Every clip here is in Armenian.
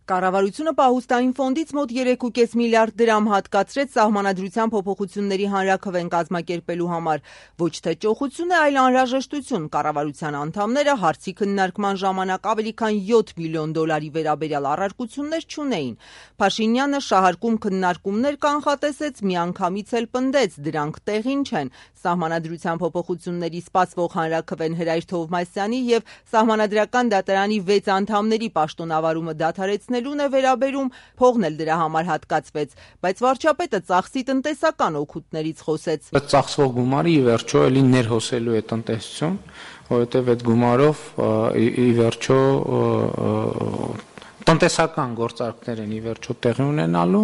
Կառավարությունը պահուստային ֆոնդից մոտ 3,5 միլիարդ դրամ հատկացրեց սահմանադրության փոփոխությունների հանրաքվեն կազմակերպելու համար։ Ոչ թե ճոխություն է, այլ անհրաժեշտություն։ Կառավարության անդամները հարցի քննարկման ժամանակ ավելի քան 7 միլիոն դոլարի վերաբերյալ առարկություններ չունեին։ Փաշինյանը շահարկում քննարկումներ կանխատեսեց, միանգամից էլ պնդեց՝ դրանք տեղին չեն։ Սահմանադրության փոփոխությունների սպասվող հանրաքվեն Հրայր Թովմասյանի եւ Սահմանադրական դատարանի 6 անդամների պաշտոնավարումը դադարեցնելուն է վերաբերում, փողն էլ դրա համար հատկացվեց, բայց վարչապետը ծախսի տնտեսական օգուտներից խոսեց։ Ծախսվող գումարը ի վերջո էլի ներհոսելու է տնտեսություն, որովհետև այդ գումարով ի վերջո տնտեսական գործարքներ են ի վերջո տեղի ունենալու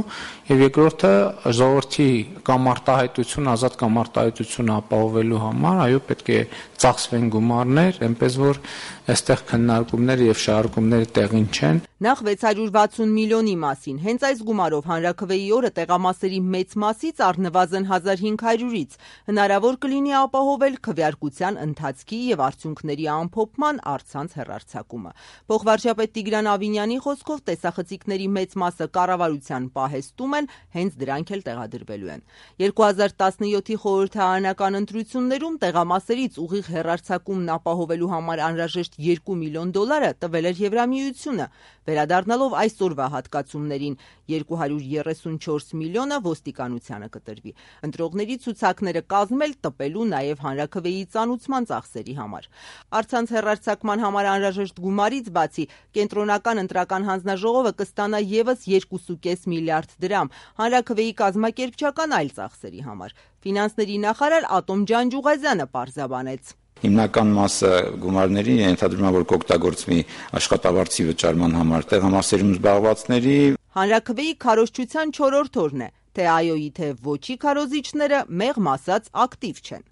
եւ երկրորդը ժողովրդի կամարտահայտություն, ազատ կամարտահայտություն ապահովելու համար, այո, պետք է ծախսվեն գումարներ, այնպես որ այստեղ քննարկումները եւ շահարկումները տեղին չեն։ Նախ 660 միլիոնի մասին, հենց այս գումարով հանրաքվեի օրը տեղամասերի մեծ մասից առնվազն 1500-ից հնարավոր կլինի ապահովել քվեարկության ընթացքի եւ արդյունքների ամփոփման առցանց հեռարձակումը։ Փոխվարչապետ Տիգրան Ավինյանի խոսքով տեսախցիկների մեծ մասը կառավարության պահեստում են, հենց դրանք էլ տեղադրվելու են։ 2017-ի խորհրդարանական ընտրություններում տեղամասերից ուղիղ հեռարձակումն ապահովելու համար անհրաժեշտ 2 միլիոն դոլարը տվել էր Եվրամիությունը։ Վերադառնալով այսօրվա հատկացումներին 234 միլիոնը ոստիկանությանը կտրվի։ Ընտրողների ցուցակները կազմել, տպելու նաև հանրաքվեի ծանուցման ծախսերի համար։ Առցանց հեռարձակման համար անհրաժեշտ գումարից բացի կենտրոնական ընտրական հանձնաժողովը կստանա եւս 2,5 միլիարդ դրամ հանրաքվեի կազմակերպչական այլ ծախսերի համար։ Ֆինանսների նախարար Ատոմ Ջանջուղազյանը պարզաբանեց. Հիմնական մասը գումարների ենթադրում է, որ կօգտագործվի աշխատավարձի վճարման համար տեղամասերում զբաղվածների։ Հանրաքվեի քարոզչության 4-րդ օրն է, թե այոյի թե ոչի քարոզիչները մեղմ ասած ակտիվ չեն։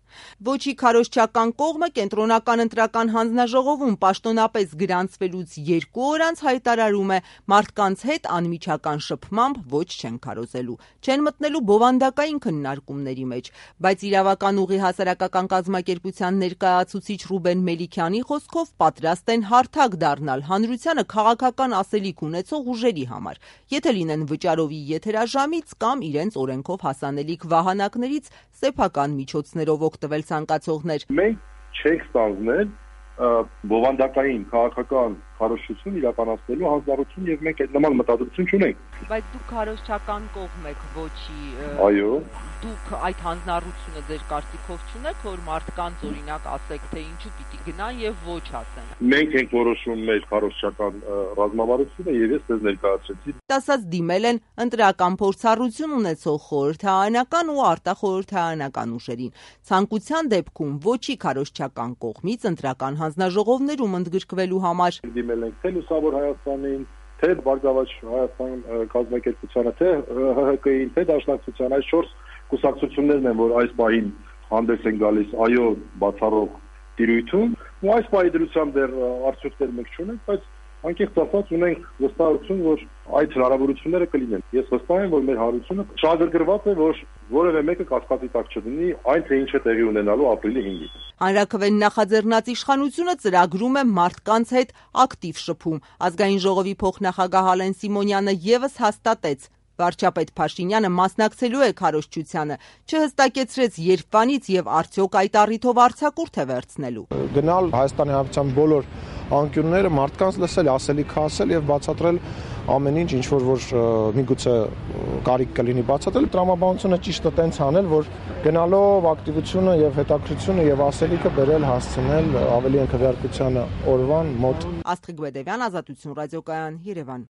Ոչի քարոզչական կողմը կենտրոնական ընտրական հանձնաժողովում պաշտոնապես գրանցվելուց 2 օր անց հայտարարում է մարդկանց հետ անմիջական շփմամբ ոչ չեն քարոզելու, չեն մտնելու բովանդակային քննարկումների մեջ, բայց իրավական ուղի հասարակական կազմակերպության ներկայացուցիչ Ռուբեն Մելիքյանի խոսքով պատրաստ են հարթակ դառնալ հանրությանը քաղաքական ասելիք ունեցող ուժերի համար, եթե լինեն վճարովի եթերաժամից կամ իրենց օրենքով հասանելիք վահանակներից սեփական միջոցներով օգտվել ցանկացողներ։ Մենք չենք ստանձնել բովանդակային քաղաքական քարոզչություն իրականացնելու հանձնառություն եւ մենք այդ նման մտադրություն չունենք։ Բայց դուք քարոզչական կողմ եք ոչի։ Այո։ Դուք այդ հանձնառությունը ձեր կարծիքով չունեք, որ մարդկանց օրինակ ասեք, թե ինչու պիտի գնան եւ ոչ ասեն։ Մենք ենք որոշում մեր քարոզչական ռազմավարությունը եւ ես ձեզ ներկայացրեցի։ Տասած դիմել են ընտրական փորձառություն ունեցող խորհրդարանական ու արտախորհրդարանական ուժերին։ Ցանկության դեպքում ոչի քարոզչական կողմից ընտրական հանձնաժողովներում ընդգրկվելու համար դիմել ենք թե Լուսավոր Հայաստանին, թե Բարգավաճ Հայաստան կազմակերպությանը, թե ՀՀԿ-ին, թե Դաշնակցությանը, այս 4 կուսակցություններն են, որ այս պահին հանդես են գալիս այո բացառող տիրույթում, ու այս պահի դրությամբ դեռ արդյունքներ մենք չունենք, բայց անկեղծ ասած ունենք վստահություն, որ այդ հնարավորությունները կլինեն։ Ես վստահ եմ, որ մեր հարությունը շահագրգռված է, որ որևէ մեկը կասկածի տակ չդնի այն, թե ինչ է տեղի ունենալու ապրիլի 5-ին։ Հանրաքվեն նախաձեռնած իշխանությունը ծրագրում է մարդկանց հետ ակտիվ շփում։ Ազգային ժողովի փոխնախագահ Ալեն Սիմոնյանը եւս հաստատեց, վարչապետ Փաշինյանը մասնակցելու է քարոզչությանը, չհստակեցրեց երբանից եւ արդյոք այդ առիթով արձակուրդ է վերցնելու։ Գնալ Հայաստանի Հանրապետության բոլոր անկյունները մարդկանց լսել, ասելիք ասել եւ բացատրել ամեն ինչ որ միգուցե կարիք կլինի բացատրել, տրամաբանությունը ճիշտ է տենց անել, որ գնալով ակտիվությունը եւ հետաքրությունը եւ ասելիքը բերել հասցնել ավելի քվեարկությանը օրվան մոտ։ Աստղիկ Բեդևյան, Ազատություն ռադիոկայան, Երևան։